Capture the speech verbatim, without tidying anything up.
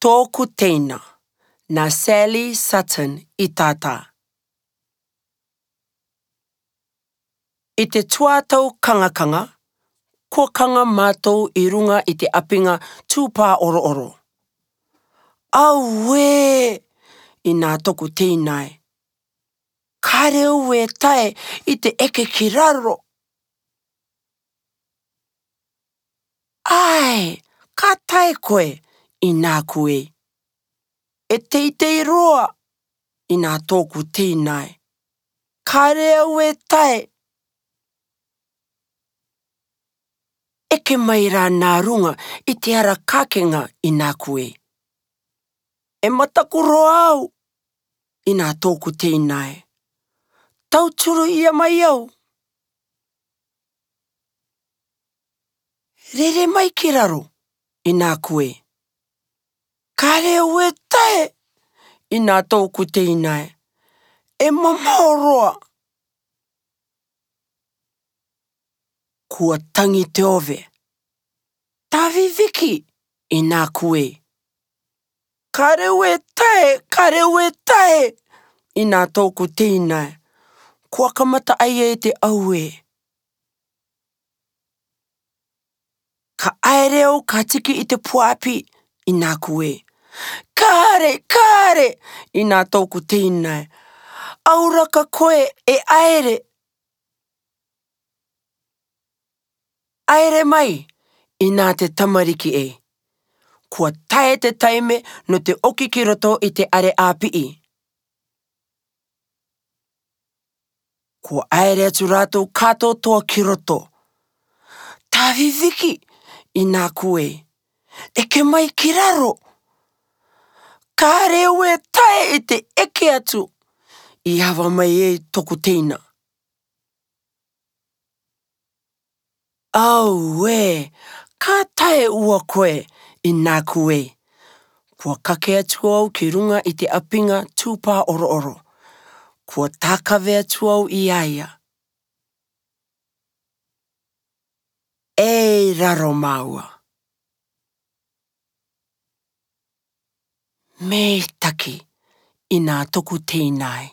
Tōku Teina, nā Sally Sutton i tātā. I te tuātau kangakanga, kua kanga mātou i ruŋa i te ʻapiŋa tūpāorooro. Auē! I nā tōku teina ē. Kāre au e tae i te eke ki raro. ʻAe, ka tae koe, i nāku ē. E teitei roa, i nā tōku teina ē. Kāre au e tae. Eke mai rā nā ruŋa i te ara kākeŋa, i nāku ē. E mataku roa au, i nā tōku teina ē. Tauturu ia mai au. Rere mai ki raro, i nāku ē. Kāre au e tae, i nā tōku teina ē. E mamaho roa. Kua tangi te ove. Tāviviki, i nāku ē. Kāre au e tae, kāre au e tae, i nā tōku teina ē. Kua kamata ʻaia e te auē. Ka ʻaere au ka tiki i te puaʻapi, i nāku ē. Kāre, kāre, i nā tōku teina ē. Aura ka koe e ʻaere. ʻAere mai, i nā te tamariki ē. Kua tae te taime nō te ʻoki ki roto i te ʻare ʻāpiʻi. Kua ʻaere atu rātou kātoatoa ki roto. Tāviviki, i nāku ē. Eke mai ki raro. Kāre au e tae i te eke atu. I ava mai ai tōku teina. Auē, ka tae ua koe, i nāku ē. Kua kake atu au ki ruŋa i te ʻapiŋa tūpāorooro. Kua tākave atu au i a ia. Ei raro māua. Meitaki, i nā tōku teina ē.